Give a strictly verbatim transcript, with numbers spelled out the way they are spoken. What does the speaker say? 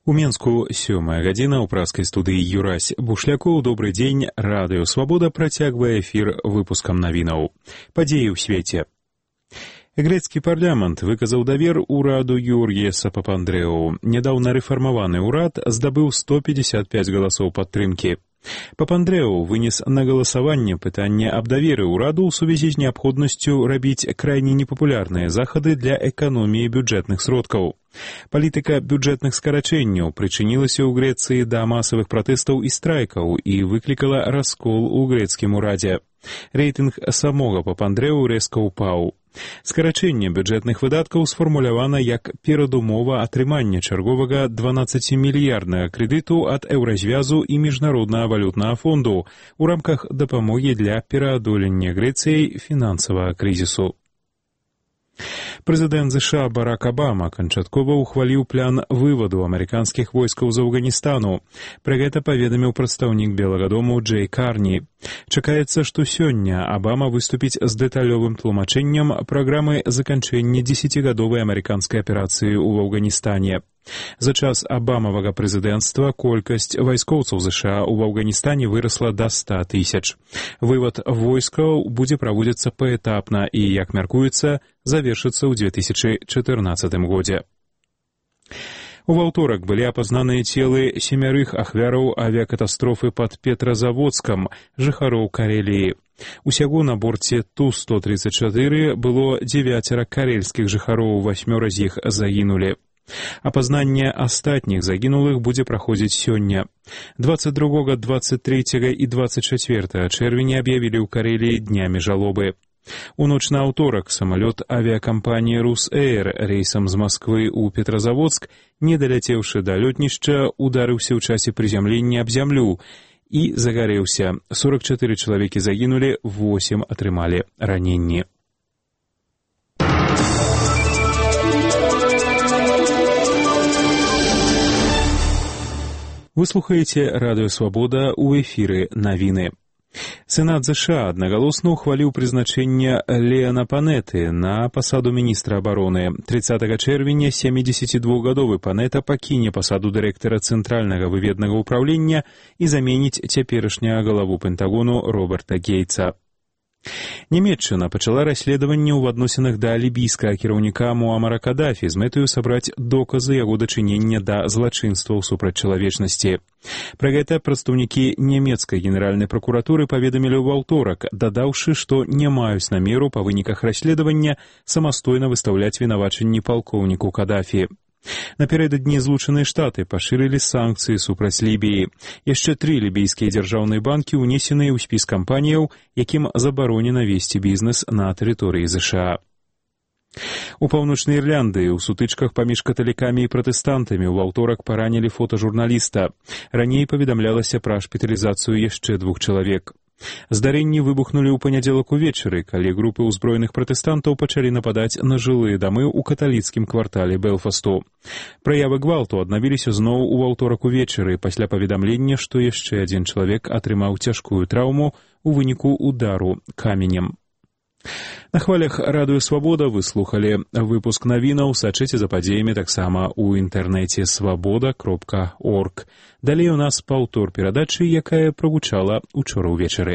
У Менску сёмая гадзіна ў праскай студыі Юрась Бушлякоў. Добры дзень. Радыё Свабода працягвае эфір выпускам навінаў. Падзеі ў свеце. Грэцкі парламент выказаў давер ураду Георгіеса Папандрэу. Нядаўна рэфармаваны ўрад здабыў сто пятьдесят пять галасоў падтрымкі. Папандрэу вынес на галасаванне пытанне аб даверы ўраду ў сувязі з неабходнасцю рабіць крайне непапулярныя захады для эканоміі бюджэтных сродкаў. Палітыка бюджэтных скарачэнняў прычынілася ў Грэцыі да масавых пратэстаў і страйкаў і выклікала раскол у грэцкім урадзе. Рэйтынг самога Папандрэу рэзка ўпаў. Скарачэнне бюджэтных выдаткаў сфармулявана як перадумова атрымання чарговага дванаццацімільярднага крэдыту ад Еўразвязу і Міжнароднага валютнага фонду у рамках дапамогі для пераадолення Грэцыяй фінансавага крызісу. Прэзідэнт ЗША Барак Абама канчаткова ўхваліў план вываду амерыканскіх войскаў з Афганістану. Пра гэта паведаміў прадстаўнік Белага дому Джэй Карні. Чакаецца, што сёння Абама выступіць з дэталёвым тлумачэннем праграмы заканчэння дзесяцігадовай амерыканскай аперацыі ў Афганістане. За час Абамавага прэзідэнцтва колькасць вайскоўцаў ЗША ў Афганістане вырасла да ста тысяч. Вывад войскаў будзе праводзіцца паэтапна і, як мяркуецца, завершыцца ў две тысячы чатырнаццатым годзе. У ваўторак былі апазнаныя целы семярых ахвяраў авіякатастрофы пад Петразаводскам, жыхароў Кареліі. Усяго на борце Ту сто тридцать чатыры было дзевяцера карельскіх жыхароў, васьмёра з іх загінулі. Апазнанне астатніх загінулых будзе праходзіць сёння. дваццаць другога, дваццаць трэцяга і дваццаць чацвёртага чэрвеня аб'явілі ў Кареліі днямі жалобы. У ноч на аўторак самалёт авіякампаніі «Русэйр» рэйсам з Масквы ў Петразаводск, не даляцеўшы да лётнішча, ударыўся ў часе прызямлення аб зямлю і загарэўся. сорок чатыры чалавекі загінулі, восем атрымалі раненні. Вы слухаеце Радыё Свабода, у эфіры навіны. Сенат ЗША аднагалосна ўхваліў прызначэнне Леана Панеты на пасаду міністра абароны. трыццатага чэрвеня сямідзесяцідвухгадовы Панета пакіне пасаду дырэктара Цэнтральнага выведнага ўпраўлення і заменіць цяперашняга галаву Пентагону Роберта Гейтса. Нямецчына пачала расследаванне ў адносінах да лібійскага кіраўніка Муамара Кадафі з мэтаю сабраць доказы яго дачынення да злачынстваў супраць чалавечнасці. Пра гэта прадстаўнікі нямецкай генеральнай пракуратуры паведамілі ў аўторак, дадаўшы, што не маюць намеру па выніках расследавання самастойна выстаўляць вінавачанні палкоўніку Кадафі. Напярэдадні Злучаныя Штаты пашырылі санкцыі супраць Лібіі. Яшчэ тры лібійскія дзяржаўныя банкі ўнесеныя ў спіс кампаніяў, якім забаронена весці бізнес на тэрыторыі ЗША. У Паўночнай Ірландыі ў сутычках паміж каталікамі і пратэстантамі ў аўторак паранілі фотажурналіста. Раней паведамлялася пра шпіталізацыю яшчэ двух чалавек. Здарэнні выбухнулі ў панядзелак увечары, калі групы ўзброеных пратэстантаў пачалі нападаць на жылыя дамы ў каталіцкім квартале Белфасту. Праявы гвалту аднавіліся зноў у аўторак увечары пасля паведамлення, што яшчэ адзін чалавек атрымаў цяжкую траўму ў выніку удару каменем. На хвалях Радыё Свабода вы слухалі выпуск навінаў, сачыце за падзеямі таксама ў інтэрнэце свабода кропка орг. Далей у нас паўтор перадачы, якая прагучала учора ўвечары.